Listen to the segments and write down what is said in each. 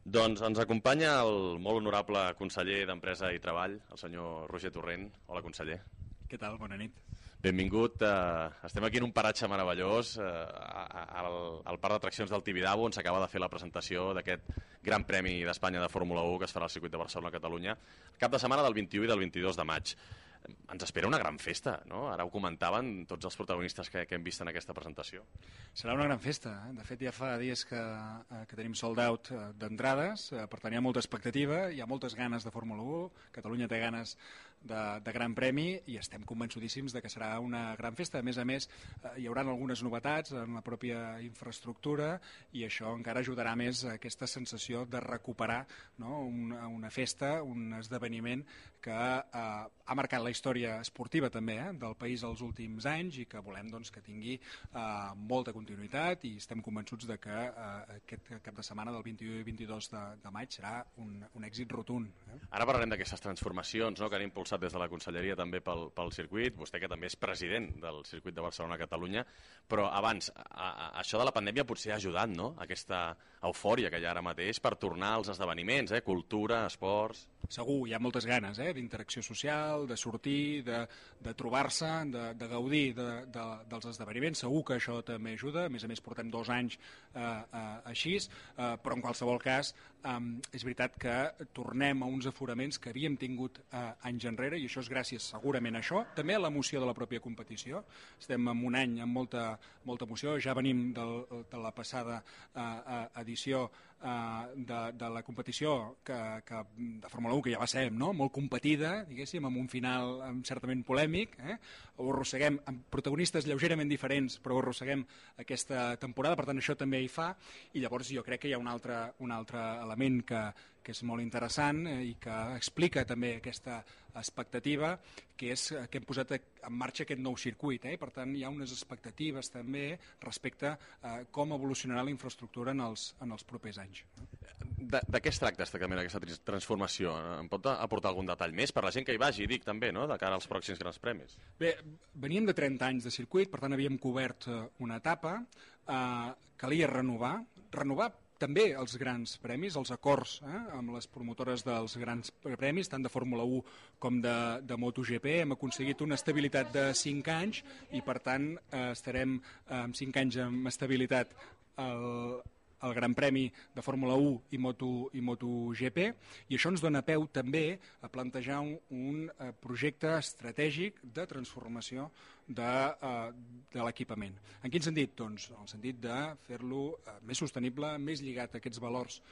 Doncs ens acompanya el molt honorable conseller d'Empresa i Treball, el senyor Roger Torrent. Hola, conseller. Què tal? Bona nit. Benvingut. Estem aquí en un paratge meravellós, al parc d'atraccions del Tibidabo, on s'acaba de fer la presentació d'aquest Gran Premi d'Espanya de Fórmula 1 que es farà al circuit de Barcelona-Catalunya el cap de setmana del 21 i del 22 de maig. Ens espera una gran festa, no? Ara ho comentaven tots els protagonistes que hem vist en aquesta presentació. Serà una gran festa. De fet, ja fa dies que tenim sold out d'entrades, per tant hi ha molta expectativa, hi ha moltes ganes de Fórmula 1, Catalunya té ganes de Gran Premi i estem convençudíssims de que serà una gran festa. A més, hi haurà algunes novetats en la pròpia infraestructura i això encara ajudarà més a aquesta sensació de recuperar, no? una festa, un esdeveniment que ha marcat la història esportiva també del país els últims anys i que volem doncs, que tingui molta continuïtat i estem convençuts de que aquest cap de setmana del 21 i 22 de maig serà un èxit rotund. Ara parlarem d'aquestes transformacions, no?, que han impulsat des de la Conselleria també pel circuit, vostè que també és president del circuit de Barcelona-Catalunya, però abans, això de la pandèmia potser ha ajudat, no?, aquesta eufòria que hi ha ara mateix per tornar als esdeveniments, cultura, esports... Segur, hi ha moltes ganes d'interacció social, de sortir, de trobar-se, de gaudir dels esdeveniments. Segur que això també ajuda, a més portem 2 anys així, però en qualsevol cas és veritat que tornem a uns aforaments que havíem tingut anys enrere i això és gràcies segurament a això, també a l'emoció de la pròpia competició. Estem en un any amb molta emoció, ja venim de la passada edició de la competició de Fórmula 1 que ja va ser molt competida, diguéssim, amb un final certament polèmic, ho arrosseguem amb protagonistes lleugerament diferents, però ho arrosseguem aquesta temporada, per tant això també hi fa, i llavors jo crec que hi ha un altre element que és molt interessant i que explica també aquesta expectativa, que és que hem posat en marxa aquest nou circuit, i per tant hi ha unes expectatives també respecte a com evolucionarà la infraestructura en els propers anys. De què es tracta aquesta transformació? Em pot aportar algun detall més per la gent que hi vagi, dic també, no?, de cara als pròxims grans premis? Bé, veníem de 30 anys de circuit, per tant havíem cobert una etapa, calia renovar també els grans premis, els acords amb les promotores dels grans premis, tant de Fórmula 1 com de MotoGP. Hem aconseguit una estabilitat de 5 anys i, per tant, estarem amb 5 anys amb estabilitat el Gran Premi de Fórmula 1 i MotoGP, i això ens dona peu també a plantejar un projecte estratègic de transformació de l'equipament. En quin sentit? Doncs en el sentit de fer-lo més sostenible, més lligat a aquests valors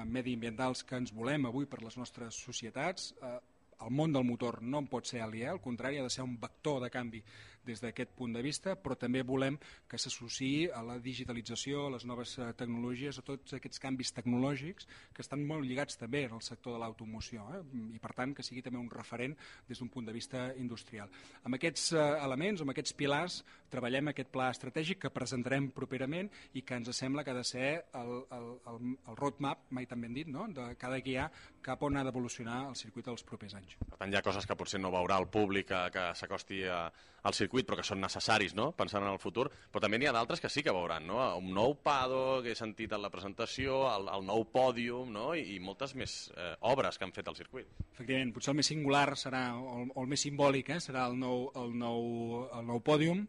mediambientals que ens volem avui per les nostres societats. El món del motor no en pot ser aliè, al contrari, ha de ser un vector de canvi des d'aquest punt de vista, però també volem que s'associï a la digitalització, a les noves tecnologies, a tots aquests canvis tecnològics que estan molt lligats també al sector de l'automoció, i per tant que sigui també un referent des d'un punt de vista industrial. Amb aquests elements, amb aquests pilars, treballem aquest pla estratègic que presentarem properament i que ens sembla que ha de ser el roadmap, mai tan ben dit, no?, que ha de guiar cap on ha d'evolucionar el circuit els propers anys. Per tant, hi ha coses que potser no veurà el públic que s'acosti al circuit, però que són necessaris, no?, pensant en el futur, però també n'hi ha d'altres que sí que veuran, no?, un nou paddock que he sentit en la presentació, el nou pòdium, no?, i moltes més obres que han fet al circuit. Efectivament, potser el més singular serà, o el més simbòlic, serà el nou pòdium,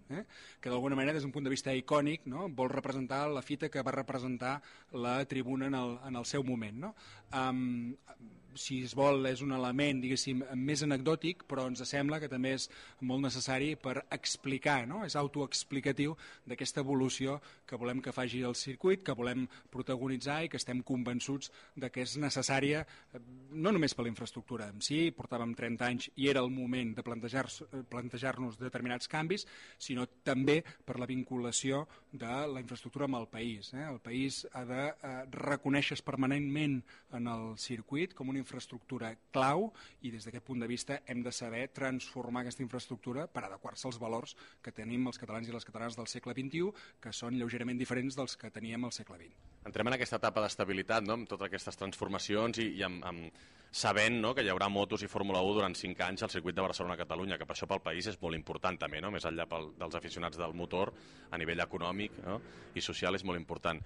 que d'alguna manera, des d'un punt de vista icònic, no?, vol representar la fita que va representar la tribuna en el seu moment, no? Si es vol, és un element, diguéssim, més anecdòtic, però ens sembla que també és molt necessari per explicar, no?, és autoexplicatiu d'aquesta evolució que volem que faci el circuit, que volem protagonitzar i que estem convençuts de que és necessària, no només per la infraestructura en si, portàvem 30 anys i era el moment de plantejar-nos determinats canvis, sinó també per la vinculació de la infraestructura amb el país. El país ha de reconèixer permanentment en el circuit com una infraestructura clau i des d'aquest punt de vista hem de saber transformar aquesta infraestructura per adequar-se als valors que tenim els catalans i les catalanes del segle XXI, que són lleugerament diferents dels que teníem al segle XX. Entrem en aquesta etapa d'estabilitat, no?, amb totes aquestes transformacions i amb sabent, no?, que hi haurà motos i Fórmula 1 durant 5 anys al circuit de Barcelona-Catalunya, que per això pel país és molt important també, no?, més enllà dels aficionats del motor, a nivell econòmic, no?, i social és molt important.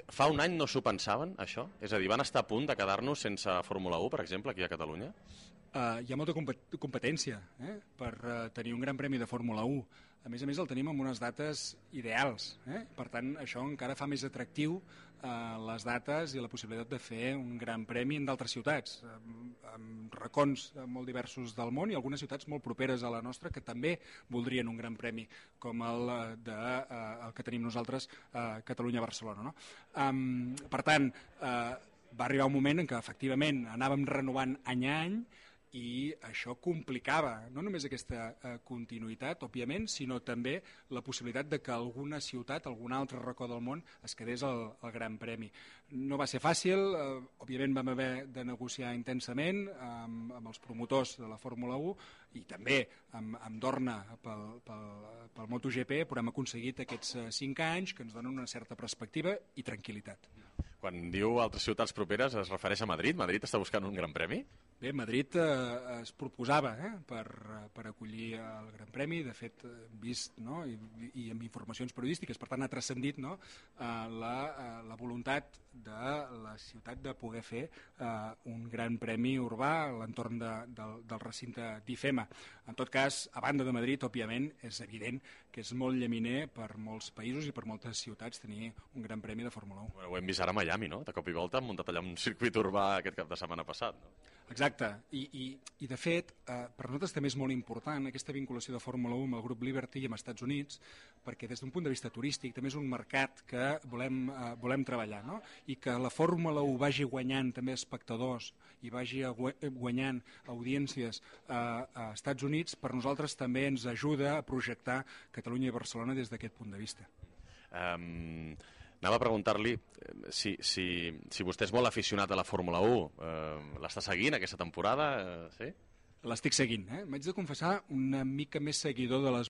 Fa un any no s'ho pensaven, això? És a dir, van estar a punt de quedar-nos sense Fórmula 1, per exemple, aquí a Catalunya? Hi ha molta competència per tenir un gran premi de Fórmula 1. A més, el tenim amb unes dates ideals. Per tant, això encara fa més atractiu les dates i la possibilitat de fer un gran premi en d'altres ciutats, amb racons molt diversos del món i algunes ciutats molt properes a la nostra que també voldrien un gran premi, com el que tenim nosaltres a Catalunya-Barcelona. No? Per tant, va arribar un moment en què efectivament anàvem renovant any a any i això complicava no només aquesta continuïtat, òbviament, sinó també la possibilitat de que alguna ciutat, algun altre racó del món es quedés al Gran Premi. No va ser fàcil, òbviament vam haver de negociar intensament amb els promotors de la Fórmula 1 i també amb Dorna pel MotoGP, però hem aconseguit aquests 5 anys que ens donen una certa perspectiva i tranquil·litat. Quan diu altres ciutats properes es refereix a Madrid? Madrid està buscant un gran premi? Bé, Madrid es proposava per acollir el Gran Premi, de fet vist i amb informacions periodístiques, per tant ha transcendit la voluntat de la ciutat de poder fer un gran premi urbà a l'entorn del recinte d'IFEMA. En tot cas, a banda de Madrid, òbviament, és evident que és molt llaminer per molts països i per moltes ciutats tenir un gran premi de Fórmula 1. Bueno, ho hem vist ara a Miami, no? De cop i volta han muntat allà un circuit urbà aquest cap de setmana passat, no? Exacte, i de fet, per nosaltres també és molt important aquesta vinculació de Fórmula 1 amb el grup Liberty i amb els Estats Units, perquè des d'un punt de vista turístic també és un mercat que volem treballar, no? I que la Fórmula 1 vagi guanyant també espectadors i vagi guanyant audiències a Estats Units, per nosaltres també ens ajuda a projectar Catalunya i Barcelona des d'aquest punt de vista. Anava a preguntar-li si vostè és molt aficionat a la Fórmula 1. L'està seguint aquesta temporada? Sí? L'estic seguint. M'haig de confessar una mica més seguidor de les